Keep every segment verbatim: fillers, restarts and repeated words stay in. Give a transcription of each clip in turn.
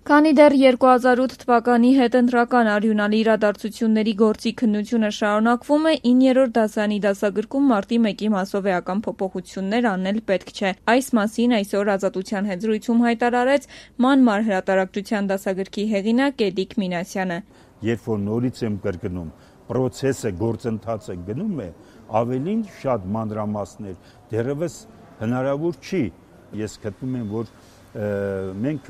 Քանի դեռ երկու հազար ութ թվականի հետընտրական արյունալի իրադարձությունների գործի քննությունը շարունակվում է, իններորդ դասարանի դասագրքում մարտի մեկի մասով էական փոփոխություններ անել պետք չէ։ Այս մասին այսօր Ազատության հետ զրույցում հայտարարեց ման-մար հրատարակչության դասագրքի հեղինակ Էդիկ Մինասյանը։ Երբ որ նորից եմ կրկնում, պրոցեսը, գործընթացը գնում է, ավելին շատ մանրամասներ դեռևս հնարավոր չի։ Ես գտնում եմ, որ մենք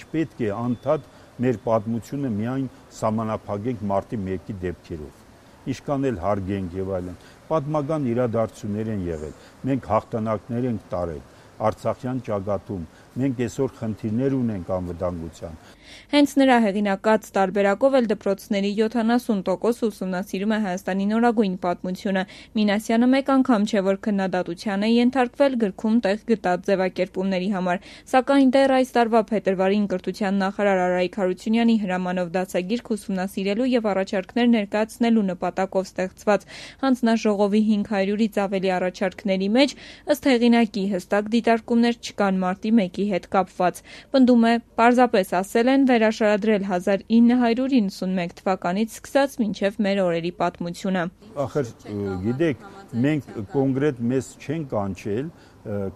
չպետք է անդադ մեր պատմությունը միայն սահմանափակենք մարտի մեկի դեպքերով, ինչքան էլ հարգենք եւ այլն, պատմական իրադարձություններ են եղել, մենք հաղթանակներ ենք տարել Արցախյան ճակատում, մենք այսօր խնդիրներ ունենք անվտանգության։ Հենց նրա հեղինակած տարբերակով էլ դպրոցների յոթանասուն տոկոս ուսումնասիրում է Հայաստանի նորագույն պատմությունը։ Մինասյանը մեկ անգամ չէ, որ քննադատության է ենթարկվել գրքում տեղ գտած ձևակերպումների համար, սակայն դեռ այս տարվա փետրվարին կրթության նախարար Արայիկ Հարությունյանի հրամանով դասագիրք ուսումնասիրելու եւ առաջարկներ ներկայացնելու նպատակով ստեղծված հանձնաժողովի հինգ հարյուրից ավելի առաջարկների մեջ ըստ հեղինակի հստակ դիտարկումներ չկան մարտի մեկի հետ կապված։ Պնդում է, պարզապես ասել են վերաշարադրել հազար ինը հարյուր իննսունմեկ թվականից սկսած մինչև մեր օրերի պատմությունը։ Ախր գիտեք, մենք կոնկրետ մեզ չենք կանչել,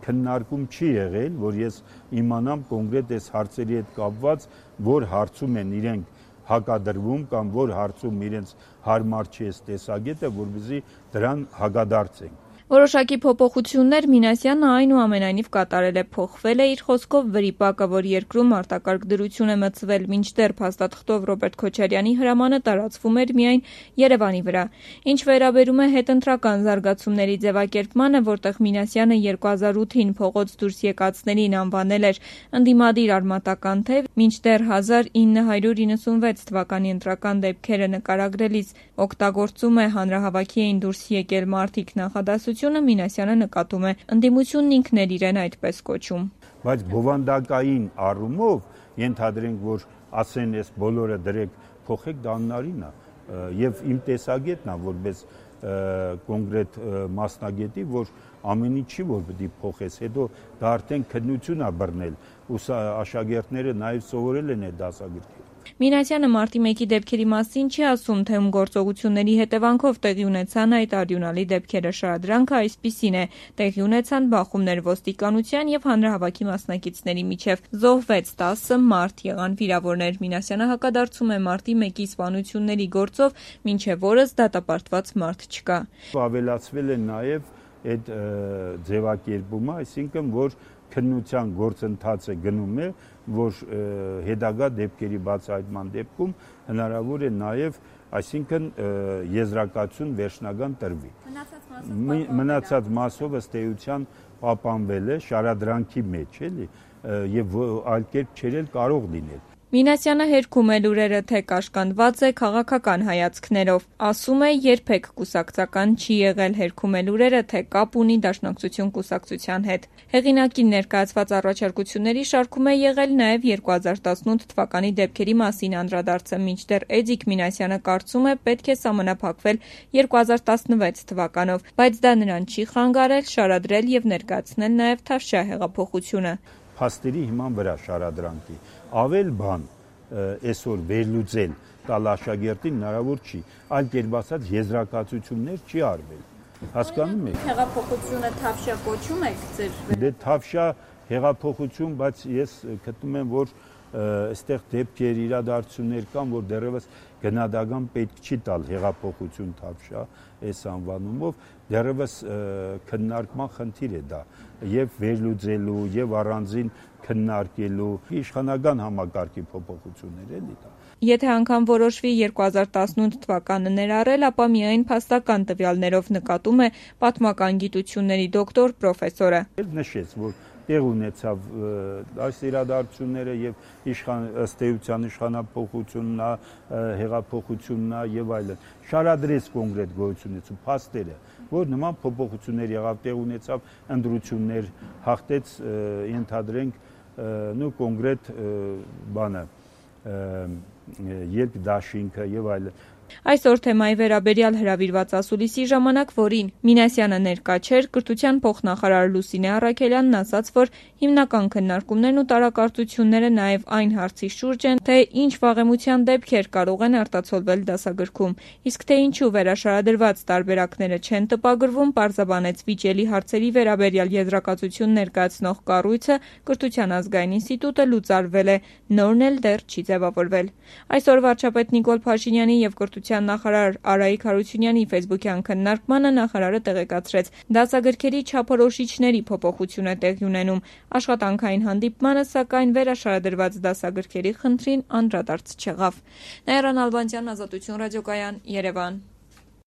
քննարկում չի եղել, որ ես իմանամ կոնկրետ այս հարցերի հետ կապված, որ հարցում են իրենք հակադրվում կամ որ հարցում իրենց հարմար չի այս տեսակետը, որպեսզի դրան հակադարձենք։ Որոշակի փոփոխություններ Մինասյանը այնուամենայնիվ կատարել է, փոխվել է իր խոսքով վրիպակը, որ երկրում արտակարգ դրություն է մտցվել, մինչդեռ փաստաթղթով Ռոբերտ Քոչարյանի հրամանը տարածվում էր միայն Երևանի վրա։ Ինչ վերաբերում է հետընտրական զարգացումների ձևակերպմանը, որտեղ Մինասյանը երկու հազար ութին փողոց դուրս եկածներին անվանել էր ընդդիմադիր արմատական թեւ, մինչդեռ հազար ինը հարյուր իննսունվեց թվականի ընտրական դեպքերը նկարագրելիս օգտագործում է հանրահավաքի էին դուրս եկել մարդիկ նախադասությունը, Մինասյանը նկատում է ընդդիմությունն ինքն էր իրեն այդպես կոչում։ Բայց բովանդակային առումով ենթադրենք, որ ասեն այս բոլորը դրեք փոխեք, դա անհնարին է եւ իմ տեսակետն է որպես կոնկրետ մասնագետի, որ ամեն ինչ չի որ պետք է փոխես, հետո դա արդեն քննություն է բռնել, ու աշակերտները նաեւ սովորել են այդ դասագրքերը։ Մինասյանը մարտի մեկի դեպքերի մասին չի ասում, թե ում գործողությունների հետևանքով տեղի ունեցան այդ արյունալի դեպքերը։ Շարադրանքը այսպիսին է. տեղի ունեցան բախումներ ոստիկանության եւ հանրահավաքի մասնակիցների միջև, զոհվեց տասը մարդ, եղան վիրավորներ։ Մինասյանը հակադարձում է մարտի մեկի սպանությունների գործով, մինչև օրս դատապարտված մարդ չկա։ Ավելացվել է նաեւ այդ ձևակերպումը, այսինքն որ քննության գործընթացը գնում է, որ հետագա դեպքերի բացահայտման դեպքում հնարավոր է նաև, այսինքն եզրակացություն վերջնական տրվի։ Մնացած մասով ըստ էության պահպանվել է շարադրանքի մեջ, էլի, եւ այլ կերպ չէր էլ կարող լինել։ Մինասյանը հերքում է լուրերը, թե կաշկանդված է քաղաքական հայացքներով։ Ասում է, երբեք կուսակցական չի եղել, հերքում է լուրերը, թե կապ ունի Դաշնակցություն կուսակցության հետ։ Հեղինակին ներկայացված առաջարկությունների շարքում է եղել նաև երկու հազար տասնութ թվականի դեպքերի մասին անդրադարձը, մինչդեռ Էդիկ Մինասյանը կարծում է, պետք է սահմանափակվել երկու հազար տասնվեց թվականով, բայց դա նրան չի խանգարել շարադրել եւ ներկայացնել նաև Թավշյա հեղափոխությունը։ Փաստերի հիման վրա շարադրանքի ավել բան այսօր վերլուծել տալ աշակերտին հնարավոր չի, այլ կերպ ասած եզրակացություններ չի արվել։ Հասկանում եք։ Հեղափոխությունը Թավշյա կոչում եք ձեր։ Դե Թավշյա հեղափոխություն, բայց ես գտնում եմ, որ այստեղ դեպքեր, իրադարձություններ կան, որ դեռևս գնահատական պետք չի տալ հեղափոխություն Թավշյա այս անվանումով, դեռևս քննարկման խնդիր է դա եւ վերլուծելու եւ առանձին քննարկելու իշխանական համակարգի փոփոխություններ էլի դա։ Եթե անգամ որոշվի երկու հազար տասնութ թվականը ներառել, ապա միայն փաստական տվյալներով, նկատում է պատմական գիտությունների դոկտոր պրոֆեսորը։ Նշեց, որ տեղ ունեցավ այս իրադարձությունները եւ իշխան ըստ էության իշխանապողությունն է, հեղափոխությունն է եւ այլն։ Շարադրեց կոնկրետ գոյությունից ու փաստերը, որ նման փոփոխություններ եղավ, տեղ ունեցավ ընտրություններ, հաղթեց ենթադրենք նու կոնկրետ բանը, երկ դաշինքը եւ այլն, Այսօր թեմայի վերաբերյալ հրավիրված ասուլիսի ժամանակ, որին Մինասյանը ներկա չէր, կրթության փոխնախարար Լուսինե Առաքելյանն ասաց, որ հիմնական քննարկումներն ու տարակարծությունները նաև այն հարցի շուրջ են, թե ինչ վաղեմության դեպքեր կարող են արտացոլվել դասագրքում, իսկ թե ինչու վերաշարադրված տարբերակները չեն տպագրվում, պարզաբանեց վիճելի հարցերի վերաբերյալ եզրակացություն ներկայացնող կառույցը, Կրթության ազգային ինստիտուտը լուծարվել է, նորն էլ դեռ չի ձևավորվել։ Այսօր վարչապետ Նիկոլ Փաշինյանի և կրթության նախարար Արայիկ Հարությունյանի ֆեյսբուքյան քննարկմանը նախարարը տեղեկացրեց, դասագրքերի չափորոշիչների փոփոխություն է տեղի ունենում, աշխատանքային հանդիպմանը, սակայն վերաշարադրված դասագրքերի խնդրին անդրադարձ չեղավ։ Նաիրա Նալբանդյան, Ազատություն ռադիոկայան, Երևան։